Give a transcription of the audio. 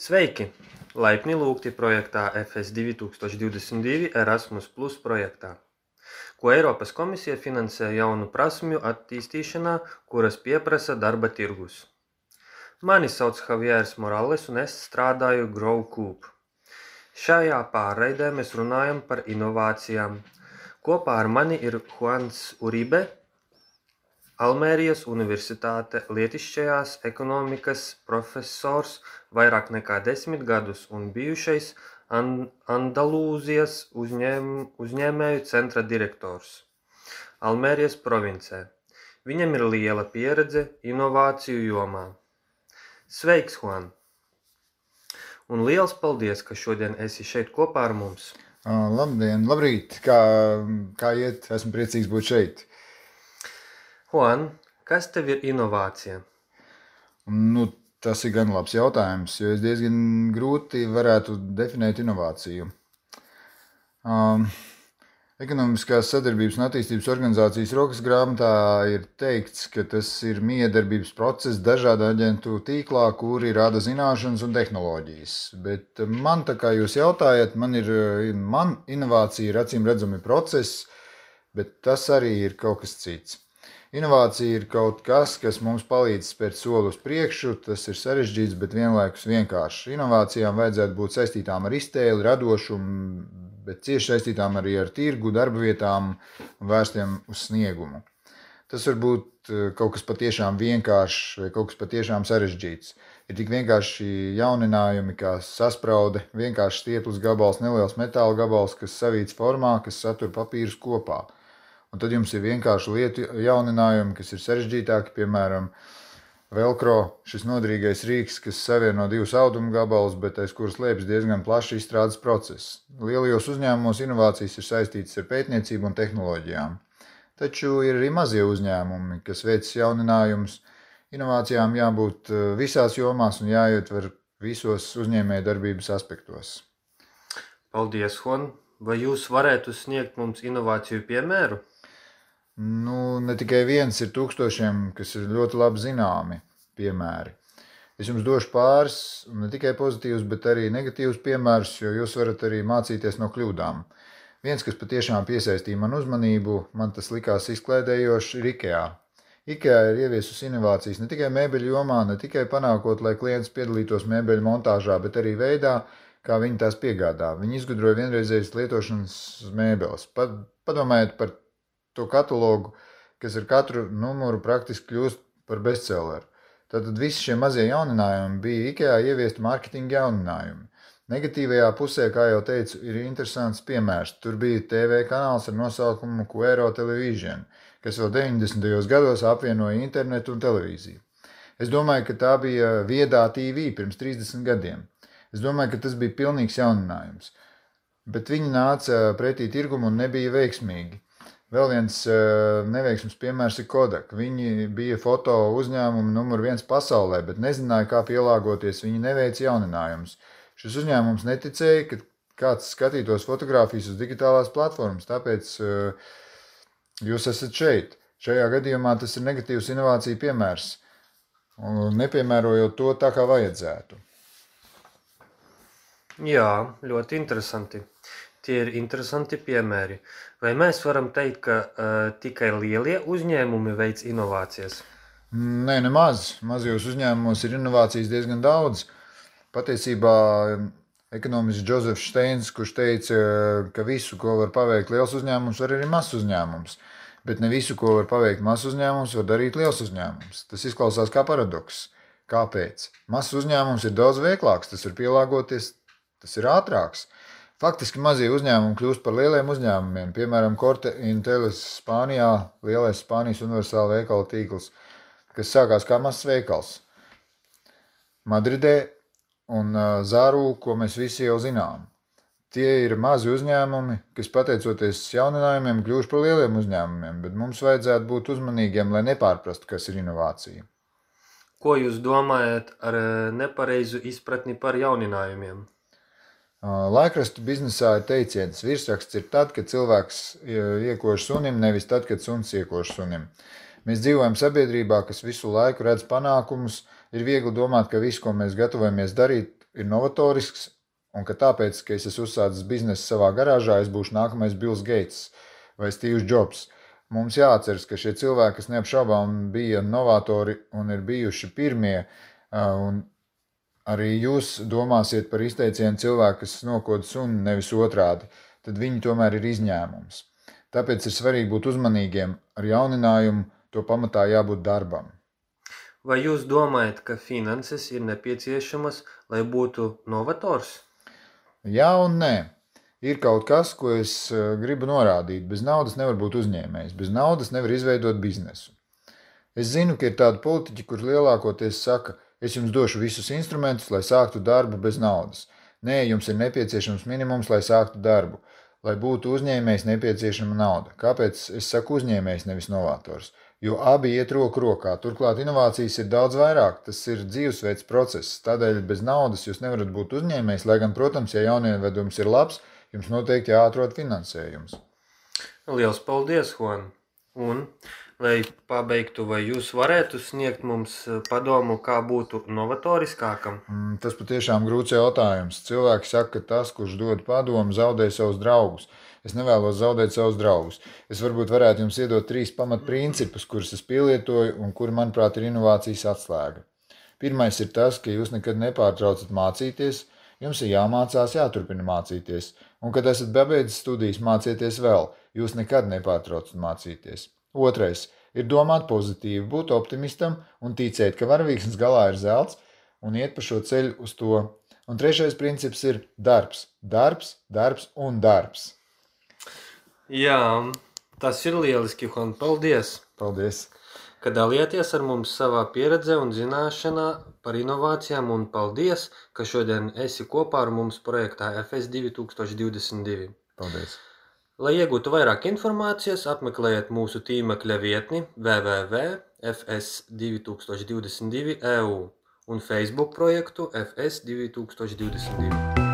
Sveiki! Laipni lūgti projektā FS 2022 Erasmus Plus projektā, ko Eiropas komisija finansē jaunu prasmju attīstīšanā, kuras pieprasa darba tirgus. Mani sauc Javieris Morales un es strādāju GrowCoop. Šajā pārraidē mēs runājam par inovācijām. Kopā ar mani ir Juans Uribe, Almērijas Universitāte lietišķajās ekonomikas profesors vairāk nekā 10 gadus un bijušais Andalūzijas uzņēmēju centra direktors Almērijas provincē. Viņam ir liela pieredze inovāciju jomā. Sveiks, Juan! Un liels paldies, ka šodien esi šeit kopā ar mums. Labdien, labrīt! Kā iet? Esmu priecīgs būt šeit. Juan, kas tev ir inovācija? Tas ir gan labs jautājums, jo es diezgan grūti varētu definēt inovāciju. Ekonomiskās sadarbības un attīstības organizācijas rokas grāmatā ir teikts, ka tas ir miedarbības process dažādu aģentu tīklā, kuri rada zināšanas un tehnoloģijas. Bet man, tā kā jūs jautājat, man inovācija ir acīm redzami process, bet tas arī ir kaut kas cits. Inovācija ir kaut kas, kas mums palīdz spērt soli uz priekšu, tas ir sarežģīts, bet vienlaikus vienkārši. Inovācijām vajadzētu būt saistītām ar iztēli, radošumu, bet cieši saistītām arī ar tirgu, darba vietām un vērstiem uz sniegumu. Tas var būt kaut kas patiešām vienkāršs vai kaut kas patiešām sarežģīts. Ir tik vienkārši jauninājumi, kā saspraude, vienkārši stieples gabals, neliels metāla gabals, kas savīts formā, kas satur papīrus kopā. Un tad jums ir vienkārši lietu jauninājumi, kas ir sarežģītāki, piemēram, velcro, šis noderīgais rīks, kas savieno divus audumu gabalus, bet aiz kuras slēpjas diezgan plašs izstrādes process. Lielajos uzņēmumos inovācijas ir saistītas ar pētniecību un tehnoloģijām. Taču ir arī mazie uzņēmumi, kas veic jauninājumus. Inovācijām jābūt visās jomās un jāietver visos uzņēmējdarbības aspektos. Paldies, Juan! Vai jūs varētu sniegt mums inovāciju piemēru? Ne tikai viens, ir tūkstošiem, kas ir ļoti labi zināmi piemēri. Es jums došu pāris, ne tikai pozitīvus, bet arī negatīvus piemērus, jo jūs varat arī mācīties no kļūdām. Viens, kas patiešām piesaistīja manu uzmanību, man tas likās izklaidējoši, ir IKEA. IKEA ir ieviesusi inovācijas ne tikai mēbeļu jomā, ne tikai panākot, lai klients piedalītos mēbeļu montāžā, bet arī veidā, kā viņi tās piegādā. Viņi izgudroja vienreizējas lietošanas mēbeles. Padomājiet par to katalogu, kas ar katru numuru praktiski kļūst par bestselleru. Tātad visi šie mazie jauninājumi bija IKEA ieviesti mārketinga jauninājumi. Negatīvajā pusē, kā jau teicu, ir interesants piemērs. Tur bija TV kanāls ar nosaukumu Quero Television, kas vēl 90. gados apvienoja internetu un televīziju. Es domāju, ka tā bija viedā TV pirms 30 gadiem. Es domāju, ka tas bija pilnīgs jauninājums. Bet viņi nāca pretī tirgumu un nebija veiksmīgi. Vēl viens neveiksmes piemērs ir Kodak. Viņi bija foto uzņēmumi numur 1 pasaulē, bet nezināja, kā pielāgoties. Viņi neveica jauninājumus. Šis uzņēmums neticēja, ka kāds skatītos fotogrāfijas uz digitālās platformas, tāpēc jūs esat šeit. Šajā gadījumā tas ir negatīvs inovāciju piemērs, nepiemērojot to tā, kā vajadzētu. Jā, ļoti interesanti. Tie ir interesanti piemēri. Vai mēs varam teikt, ka tikai lielie uzņēmumi veic inovācijas? Nē, nemaz. Mazajos uzņēmumos ir inovācijas diezgan daudz. Patiesībā ekonomists Džozefs Steins, kurš teica, ka visu, ko var paveikt liels uzņēmums, var arī mazs uzņēmums. Bet ne visu, ko var paveikt mazs uzņēmums, var darīt liels uzņēmums. Tas izklausās kā paradoks. Kāpēc? Mazs uzņēmums ir daudz veiklāks, tas var pielāgoties, tas ir ātrāks. Faktiski mazie uzņēmumi kļūst par lieliem uzņēmumiem. Piemēram, Corte Ingelis Spānijā, lielais Spānijas universāla veikala tīkls, kas sākās kā mazs veikals. Madridē un Zaru, ko mēs visi jau zinām. Tie ir mazi uzņēmumi, kas pateicoties jauninājumiem kļūst par lieliem uzņēmumiem, bet mums vajadzētu būt uzmanīgiem, lai nepārprastu, kas ir inovācija. Ko jūs domājat ar nepareizu izpratni par jauninājumiem? Laikrakstu biznesā ir teiciens, virsraksts ir tad, kad cilvēks iekož sunim, nevis tad, kad suns iekož sunim. Mēs dzīvojam sabiedrībā, kas visu laiku redz panākumus, ir viegli domāt, ka viss, ko mēs gatavojamies darīt, ir novatorisks, un ka tāpēc, ka es esmu uzsācis biznesu savā garāžā, es būšu nākamais Bills Gates vai Steve Jobs. Mums jāatceras, ka šie cilvēki, kas neapšaubām bija novatori un ir bijuši pirmie, un arī jūs domāsiet par izteicienu cilvēku, kas nokod suni, nevis otrādi, tad viņi tomēr ir izņēmums. Tāpēc ir svarīgi būt uzmanīgiem ar jauninājumu, to pamatā jābūt darbam. Vai jūs domājat, ka finanses ir nepieciešamas, lai būtu novators? Jā un nē. Ir kaut kas, ko es gribu norādīt. Bez naudas nevar būt uzņēmējs. Bez naudas nevar izveidot biznesu. Es zinu, ka ir tādi politiķi, kur lielākoties saka, es jums došu visus instrumentus, lai sāktu darbu bez naudas. Nē, jums ir nepieciešams minimums, lai sāktu darbu. Lai būtu uzņēmējs, nepieciešama nauda. Kāpēc es saku uzņēmējs, nevis novators? Jo abi iet roku rokā. Turklāt inovācijas ir daudz vairāk. Tas ir dzīvesveids process. Tādēļ bez naudas jūs nevarat būt uzņēmējs, lai gan, protams, ja jaunievedums ir labs, jums noteikti jāatrod finansējums. Liels paldies, Juan! Un, lai pabeigtu, vai jūs varētu sniegt mums padomu, kā būtu novatoriskākam? Tas patiešām grūts jautājums. Cilvēki saka, ka tas, kurš dod padomu, zaudē savus draugus. Es nevēlos zaudēt savus draugus. Es varbūt varētu jums iedot 3 pamatprincipus, kurus es pielietoju un kuri, manuprāt, ir inovācijas atslēga. Pirmais ir tas, ka jūs nekad nepārtraucat mācīties, jums ir jāmācās, jāturpina mācīties. Un, kad esat pabeidzis studijas, mācieties vēl, jūs nekad nepārtraucat mācīties. Otrais ir domāt pozitīvi, būt optimistam un ticēt, ka varavīksnes galā ir zelts un iet pa šo ceļu uz to. Un trešais princips ir darbs, darbs, darbs un darbs. Jā, tas ir lieliski, Juan. Paldies! Paldies! Ka dalījāties ar mums savā pieredzē un zināšanā par inovācijām, un paldies, ka šodien esi kopā ar mums projektā FS 2022. Paldies! Lai iegūtu vairāk informācijas, apmeklējiet mūsu tīmekļa vietni www.fs2022.eu un Facebook projektu FS 2022.